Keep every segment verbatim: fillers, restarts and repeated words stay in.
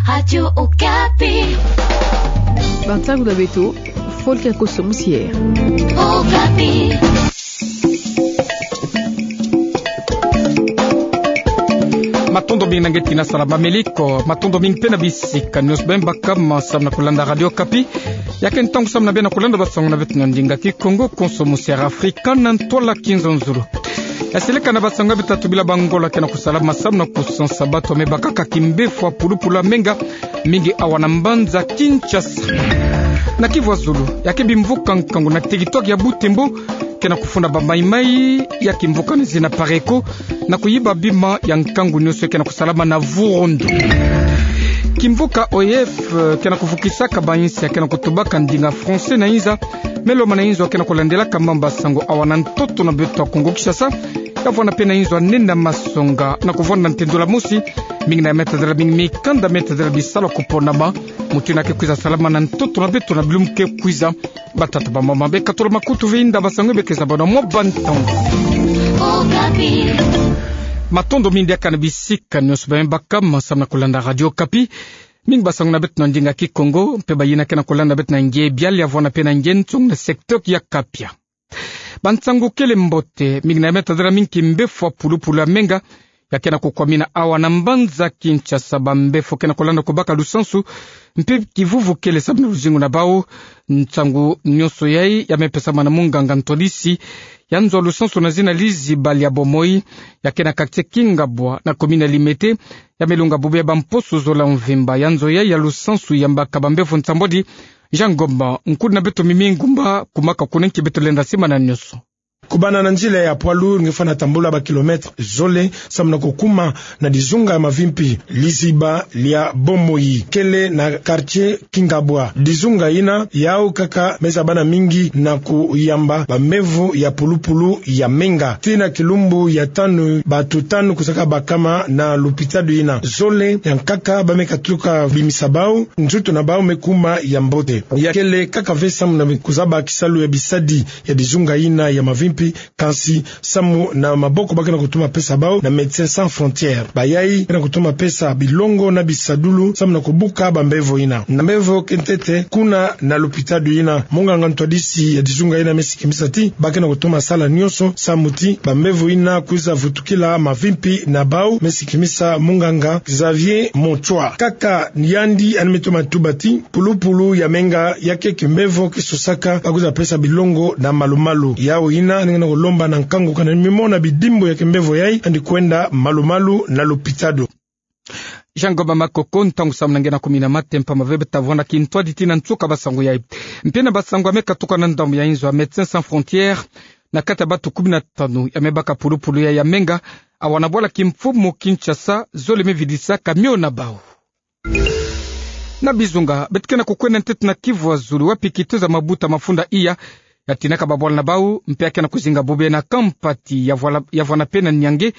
Radio Okapi. Bansangu na beto, Volker Koso Musier. Okapi. Matondo mingi na nge tina sala ba meliko, matondo mingi mpe na bisika nyonso beno baka ma samu na kulanda Radio Okapi. Ya ke ntangu samu na beno kulanda bansangu na beto na ndinga Kikongo, Koso Musier Afrika na ntwala Kinzonzolo. Ya seleka na bansangu ya beto tatu bila bangola ke na kusala ma samu na kusansa bato ya me bakaka kimbefo ya pulupulu ya menga, mingi awa na mbanza Kinshasa. Na Kivu ya Zulu, ya ke bimvuka nkangu na territoire ya Butembo, ke na kufunda ba maimai ya kimvuka na zina Pareco, na kuyiba bima ya nkangu nyonso ke na kusalama na Vurondo. Kimvuka O E F, eh, ke na kuvukisaka ba insi ya ke na kutubaka ndinga français na inza, me lomana inzo ya ke na kulandelaka mamba sango awa na ntoto na beto ya Kongo Kinshasa, ya vwanda mpe na inzo ya nena masonga na kuvwanda na ntendula mosi, mingi na ya me tadala mingi mikanda me tadala bisalu ya kuponama, mutu ina ke kwiza salama na ntoto na beto na bilumbu ke kwiza. Batata bamama, beka tolo makutu ve inda bansangu ya beka zabana mwa bantangu. Okapi. Matondo mingi diaka na bisika nyonso beno baka ma samu na kulanda Radio Okapi. Mingi bansangu na beto na ndinga Kikongo, mpe bayina ke na kulanda beto na nge biali ya vwanda mpe na nge ntsong na secteur ya Kapia. Bansangu kele mbote, mingi na ya me tadala mingi kimbefo ya pulupulu ya menga, ya ke na kukwamina awa na mbanza Kinshasa, bambefo ke na kulanda kubaka lusansu, mpe kivuvu kele samu na luzingu na bau. Nsangu nyonso yai ya me pesama na munganga ntwadisi ya nzo ya lusansu na zina Liziba lia Bomoi, ya ke na quartier Kingabwa na commune ya Limete, ya me lunga bubu ya bamposo zola mvimba. Ya nzo yai ya lusansu yambaka bambefo nsambwadi. Jean Ngomba, nkudi na beto Mimi Ngumba, kumaka kuna nki beto lenda simana nyonso. Kubanda na nzila ya poids lourd nge fwana tambula ba kilomètre zole samu na kukuma na dizunga ya mavimpi. Liziba lia Bomoi kele na quartier Kingabwa. Dizunga ina yau kaka me zabana mingi na kuyamba bambevo ya pulupulu ya menga. Tii na kilumbu ya tanu, bato tanu kuzaka bakama na lupitalu ina. Zole ya nkaka ba me katuka bimisa bau, nzutu na bau me kuma ya mbote. Ya kele kaka ve samu na kuzaba kisalu ya bisadi ya dizunga ina ya mavimpi, kansi samu na maboko ba ke na kutoma pesa bau na Médecins Sans Frontières. Bayai ke na kutoma pesa bilongo na bisadulu samu na kubuka bambevo ina. Na mbevo ke ntete kuna na lupitalu ina, munganga ntwadisi ya dizunga ina me sikimisa ti ba ke na kutoma sala nyonso samu ti bambevo ina kwiza vutukila mavimpi na bau, me sikimisa munganga Xavier Motswa. Kaka yandi yandi me toma tuba ti pulupulu ya menga ya ke kimbevo ke sosaka ba kwiza pesa bilongo na malumalu. Yau ina nge na kulomba na nkangu kana mimona bidimbu ya kimbevo yai, yandi kwenda malumalu na lupitalu. Jean Ngomba Makoko, ntangu samu na nge na kumi na mate mpamba ve beta vwanda kintwadi tii na nsuka bansangu yai. Mpe na bansangu ya me katuka na ndambu ya inzo ya Médecins Sans Frontières, na kati ya bato kumi na tanu ya me baka pulupulu yai ya menga, awa na bwala kimfumu Kinshasa, zole me vidisa camion na bau. Na bizunga, beto ke na kukwenda ntete na Kivu ya Zulu, wapi kitezo ya mabuta mafunda iya ya tinaka babwala na bau, mpe ya ke na kuzinga bubu na Kampati, ya vwala, ya vwanda mpe na Niange,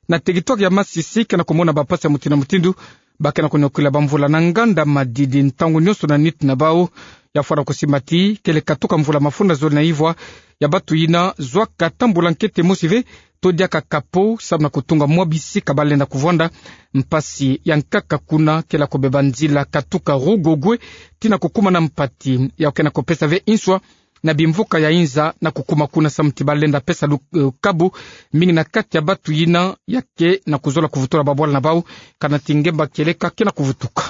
na territoire ya Masisi, ke na kumona bampasi ya mutindu na mutindu. Ba ke na kunyokila bamvula na nganda madidi ntangu nyonso na nitu na bau. Ya fwana kusimba ti kele katuka mvula mafunda zole na ivwa ya bato ina zwaka tambula nkete mosi ve, to diaka kapo, samu na kutunga mwa bisika ba lenda kuvwanda. Mpasi ya nkaka kuna kele kubeba nzila katuka Rugogwe tii na kukuma na Mpati, yau ke na kupesa ve inswa na bimvuka ya inza na kukuma kuna samu ti ba lenda pesa lu-, eh, kabu mingi na kati ya bato ina ya ke na kuzola kuvutula babwala na bau, kana ti ngemba kieleka ke na kuvutuka.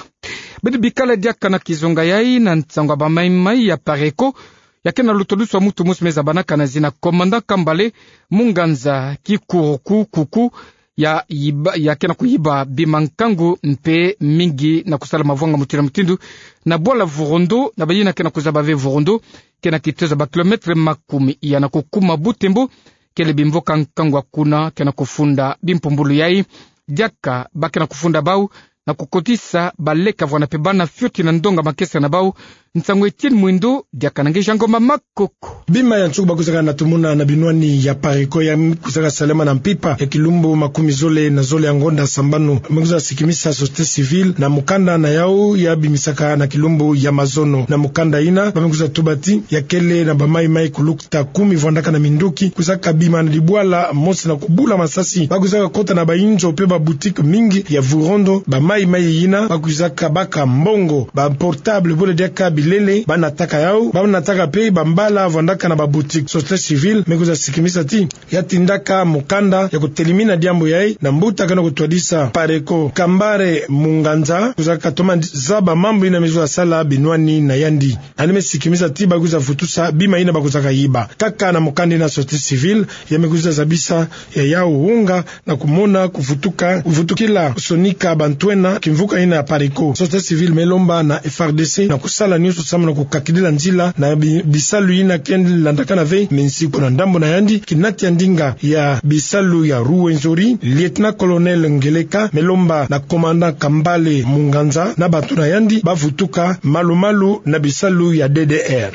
Beto bikala diaka na kizunga yai na nsangu ya bamaimai ya Pareco, ya ke na lutoluswa mutu mosi me zabanaka na zina Commandant Kambale, munganga Kikuruku Kuku, ya yiba, ya ke na kuyiba bima nkangu mpe mingi na kusala mavwanga mutindu na mutindu na bwala Vurondo, na bayina ke na kuzaba ve Vurondo, ke na kitezo ya ba kilomètre makumi iya na kukuma Butembo. Kele bimvuka nkangu ya kuna ke na kufunda bimpumbulu yai, diaka ba ke na kufunda bau na kukotisa baleka vwanda mpe bana fioti na ndonga makesa na bau. Nsangu Etienne Mwindo, diaka na nge Jean Ngomba Makoko. Bima ya nsuku ba kwizaka na tumuna na binwani ya Pareco ya kwizaka salama na mpimpa ya kilumbu makumi zole na zole ya ngonda sambanu. Me kwiza sikimisa société civile na mukanda na yau ya bimisaka na kilumbu ya mazono. Na mukanda ina, ba me kwiza tuba ti ya kele na bamaimai kuluta kumi vwandaka na minduki, kwizaka bima na dibwala mosi na kubula masasi. Ba kwizaka kota na bainzo mpe ba boutique mingi ya Vurondo, ba Mai mai yina, ba kwizaka baka mbongo, ba portable, bula diaka bilele, ba nataka yau, ba nataka pe bambala vandaka na ba boutique. Société civile me kwiza sikimisa ti ya tindaka mukanda ya kutelimina diambu yayi na mbuta kena kutwadisa Pareko. Kambale Munganza kwizaka toma zaba mambu yina me kwiza sala binwani na yandi. Yandi me sikimisa ti ba kwiza vutusa bima yina ba kwizaka yiba. Kaka na mukanda yina société civile, ya me kwiza zabisa ya yau wonga na kumona kuvutuka, kuvutukila sonika bantu ena kimvuka yina ya Pareko. Société civile me lomba na F R D C na kusala nionso samu na kukakidila nzila na bi-, bisalu yina ke landakana ve minsiku. Na ndambu na yandi, kinati ya ndinga ya bisalu ya Rwenzori, lieutenant-colonel Ngeleka, me lomba na commandant Kambale Munganza na bantu na yandi ba vutuka malu-malu na bisalu ya D D R.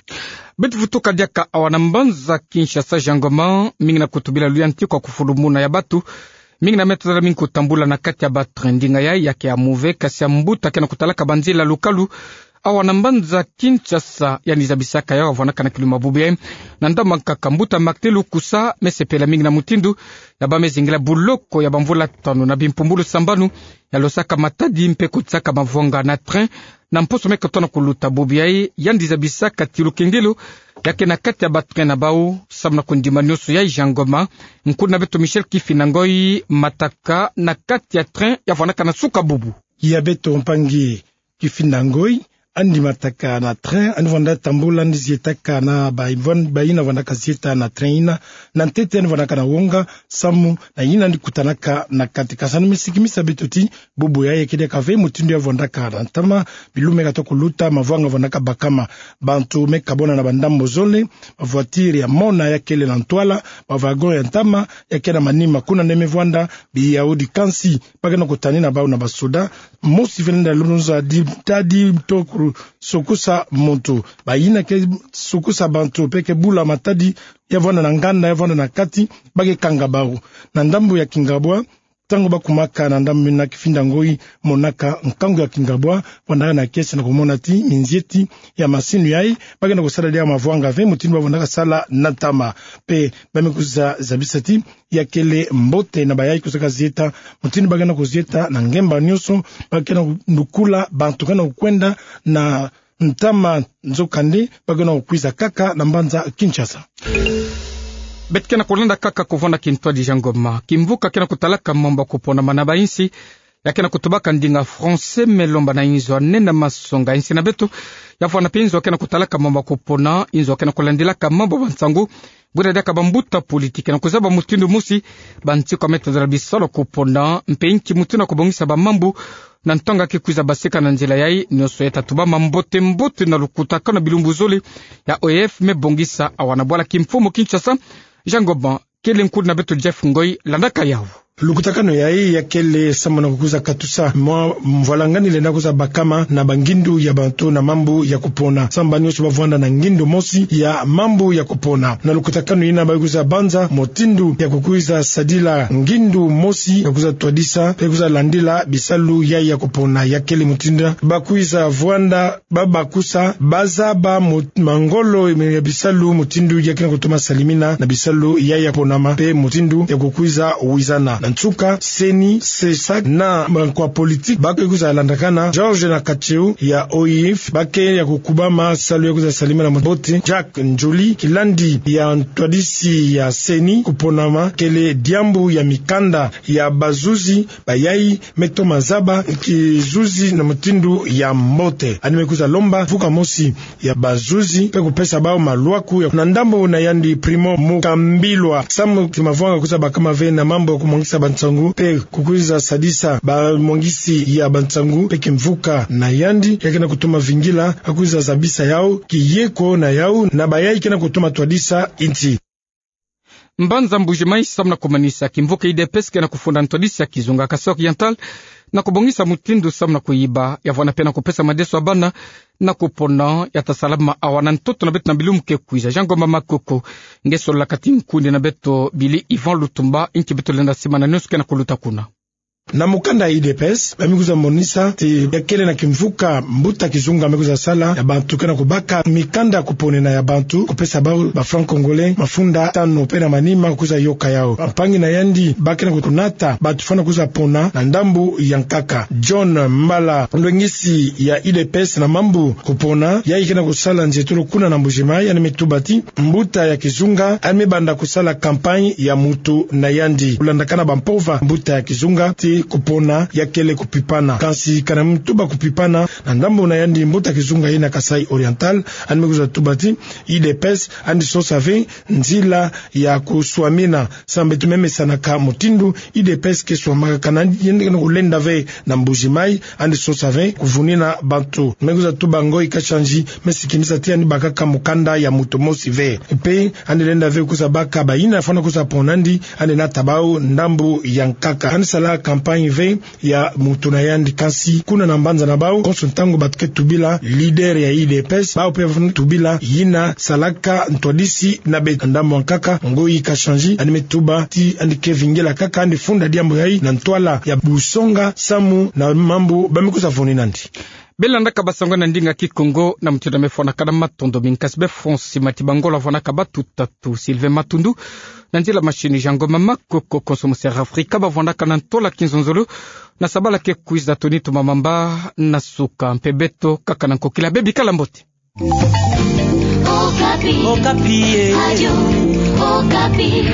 Beto vutuka diaka awa na mbanza Kinshasa, Jean Ngoma, mingi na kutubila luyantikwa kufulumuna ya bantu, mingi na me tazala mingi kutambula na kati ya ba train. Ndinga yayi ya ke ya move, kasi ya mbuta kena kutalaka banzila lukalu awa na mbanza Kinshasa, yandi zabisaka yau, avwanaka na kiluma bubu yayi. Na ndambu nkaka, mbuta Martin Lukusa me sepela mingi na mutindu ya ba me zingila buloko ya bamvula tanu na bimpumbulu sambanu ya losaka matadi mpe kutisaka mavwanga na train na mposo me kotona kuluta. Bubu yayi, yandi zabisaka ti lukengelo ya ke na kati ya ba train na bau samu na kundima nionso yayi. Jean Ngoma, nkundi na beto Michel Kifinda Ngoy, mataka na kati ya train ya vwanaka na suka bubu. Ya beto mpangi Kifinda Ngoy, yandi mataka na train, yandi vwanda tambula, yandi zietaka na ba, ba yina vwandaka zieta na train yina, na ntete yandi vwanaka na wonga samu na yina yandi kutanaka na kati. Kasi yandi me sikimisa beto ti bubu yayi ya kedi kave mutindu ya vwandaka na ntama, bilu me katoka kuluta, mavwanga vwandaka bakama. Bantu me kabwana na bandambu zole, ba voiture ya mona ya kele na ntwala, ba wagon ya ntama ya ke na manima. Kuna nde me vwanda biyaudi, kansi ba kena kutani na bau na basoda. Mosi fene nda lunza di tadi to ku-, sukusa muntu. Ba yina ke sukusa bantu mpe ke bula matadi ya vwanda na nganda, ya vwanda na kati, ba ke kanga bau. Na ndambu ya kingabwa, ntangu ba kumaka na ndambu yina, Kifinda Ngoy, monaka nkangu ya kingabwa, vwandaka na kiese na kumona ti minzieti ya masini yayi ba kena kusala diaka mavwanga ve mutindu ba vwandaka sala na ntama. Mpe ba me kwiza zabisa ti ya kele mbote na bayayi kwizaka zieta, mutindu ba kena kuzieta na ngemba nionso, ba kena kulukula bantu kena kukwenda na ntama, nzokande ba kena kukwiza kaka na mbanza Kinshasa. Beto kena kulanda kaka kuvwanda kintwadi, Jean Ngoma. Kimvuka kena kutalaka mambu ya kuponama na bainsi ya kena kutubaka ndinga français me lomba na inzo ya nene masonga insi na beto ya vwanda mpe inzo ya kena kutalaka mambu ya kupona, inzo ya kena kulandilaka mambu ya bansangu, buna diaka bambuta politiki na kuzaba mutindu mosi bantikwa me tadala bisalu ya kupona, mpe nki mutindu ya kubongisa bamambu na ntangu ya ke kwiza basika na nzila yayi. Nionso ya ta tubama mbote mbote na lukutakanu ya bilumbu zole ya O E F me bongisa awa na bwala kimfumu Kinshasa. Jean Ngoma, kele nkundi na beto Jeff Ngoy, landaka yau. Lukutakanu yayi ya kele samu na kukwiza katusa mwa mvwalangani lenda kwiza bakama na bangindu ya bantu na mambu ya kupona. Samu ba nionso ba vwanda na ngindu mosi ya mambu ya kupona. Na lukutakanu yina ba kwiza banza mutindu ya kukwiza sadila ngindu mosi ya kwiza twadisa mpe kwiza landila bisalu yayi ya kupona. Ya kele mutindu ba kwiza vwanda ba bakusa, ba zaba mu-, mangolo ya bisalu mutindu ya kena kutoma salimina na bisalu yayi ya ponama, mpe mutindu ya kukwiza wizana. Na nsuka, CENI, CESAC na bankwa politiki ba ke kwiza landakana. Georges Nakacheu ya O I F, ba ke ya kukubama salu ya kwiza salimina mbote. Jacques Ndjoli, kilandi ya ntwadisi ya CENI, kuponama kele diambu ya mikanda ya bazuzi, bayayi me toma zaba kizuzi na mutindu ya mbote. Yandi me kwiza lomba mfuka mosi ya bazuzi mpe kupesa bau malwaku ya, na ndambu na yandi Primo Mukambilwa, samu ti mavwanga kwiza bakama ve na mambu ya kumwangisa bansangu mpe kukwiza sadisa bamwangisi ya bansangu mpe kimvuka na yandi ya kena kutoma vingila, a kwiza zabisa yau kiyeko na yau na bayayi kena kutoma twadisa insi. Mbanza Mbuji-Mayi, samu na kumanisa, kimvuka U D P S kena kufunda ntwadisi ya kizunga Kasaï Oriental na kubongisa mutindu samu na kuyiba, ya vwanda mpe na kupesa madeso ya bana na kupona, ya ta salama awa na ntoto na beto na bilumbu ke kwiza. Jean Ngoma Makoko nge solola kati nkundi na beto Billy Yvan Lutumba, nki beto lenda simana nionso kena kuluta kuna. Na mokanda ya U D P S, ba me kwiza monisa ti ya kele na kimvuka mbuta kizunga me kwiza sala ya bantu ke na kubaka mikanda kuponena ya bantu, kupesa bau ba francs congolais mafunda tanu pe na manima kwiza yoka yau. Bampangi na yandi ba ke na kunata bantu fwana kwiza pona na ndambu ya nkaka. John Mbala, lwengisi ya U D P S na mambu kupona, yayi ke na kusala nzietolo kuna na Mbuji-Mayi, yandi me tuba ti mbuta ya kizunga yandi me banda kusala campagne ya mutu na yandi. Kulandakana bampova mbuta ya kizunga ti kupona ya kele kupipana. Kansi kana mutu ba kupipana na ndambu na yandi mbuta kizunga yina Kasaï Oriental, yandi me kwiza tuba ti U D P S yandi sosa ve nzila ya kuswamina. Samu beto me mesanaka mutindu U D P S ke swamaka, kana yandi ke na kulenda ve na Mbuji-Mayi, yandi sosa ve kuvunina bantu. Me kwiza tuba Ngoyi Kashandji me sikimisa ti yandi bakaka mokanda ya mutu mosi ve. Pe yandi lenda ve kwiza baka bayina fwana kwiza pona nandi, yandi nata bau ndambu ya nkaka. Yandi sala campagne ve ya mutu na yandi, kansi kuna na mbanza na bau, konso ntangu bantu ke tubila leader ya U D P S, bau pe fwana tubila yina salaka ntwadisi na beto. Ndambu ya nkaka, Ngoyi Kashandji yandi me tuba ti yandi ke vingila kaka yandi funda diambu yayi na ntwala ya busonga samu na mambu ba me kwiza vuni nandi. Beno landaka basango na ndinga Kikongo na mutindu me fwanakana. Matondo mingi. Kansi be Francis Matibangola vwanaka batuta tu Sylvain Matundu, na nzila machine Jean Ngoma Makoko, konso Monseigneur Africa ba vwanaka na ntwala kinzonzolo na sabala ke kwiza. Tony Tumamamba na suka, mpe beto kaka na nkokila. Be bikala mbote. Okapi. Okapi, eh. Radio Okapi.